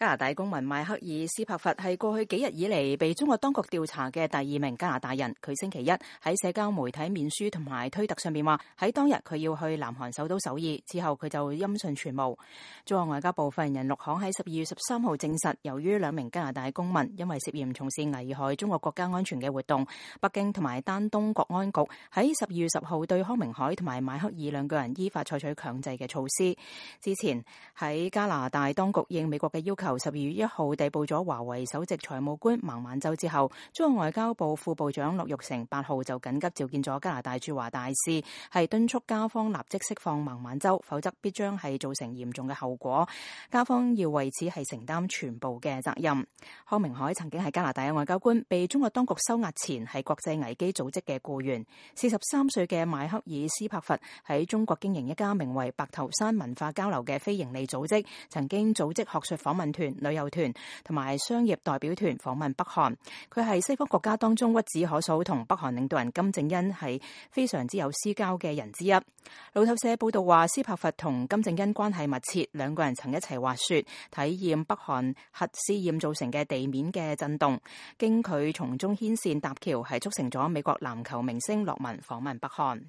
加拿大公民邁克爾斯柏佛係過去幾日以嚟被中國當局調查嘅第2名加拿大人。佢星期一喺社交媒體面書同埋推特上面話，喺當日佢要去南韓首都首爾，之後佢就音訊全無。中國外交部發言人陸慷喺12月13號證實，由於2名加拿大公民因為涉嫌從事危害中國國家安全嘅活動，北京同埋丹東國安局喺12月10號對康明凱同埋邁克爾2個人依法採取強制嘅措施。之前喺加拿大當局應美國嘅要求，12月1號逮捕咗華為首席財務官孟晚舟之後，中國外交部副部長樂玉成8號就緊急召見咗加拿大駐華大使，係敦促加方立即釋放孟晚舟，否則必將係造成嚴重嘅後果，加方要為此係承擔全部嘅責任。康明凱曾經係加拿大嘅外交官，被中國當局收押前係國際危機組織嘅僱員。43歲嘅邁克爾斯柏佛喺中國經營一家名為白頭山文化交流嘅非營利組織，曾經組織學術訪問團、旅遊團同埋商業代表團訪問北韓。佢係西方國家當中屈指可數同北韓領導人金正恩係非常之有私交嘅人之一。路透社報道話，斯柏佛同金正恩關係密切，2個人曾一齊滑雪，體驗北韓核試驗造成嘅地面嘅震動。經佢從中牽線搭橋，係促成咗美國籃球明星洛文訪問北韓。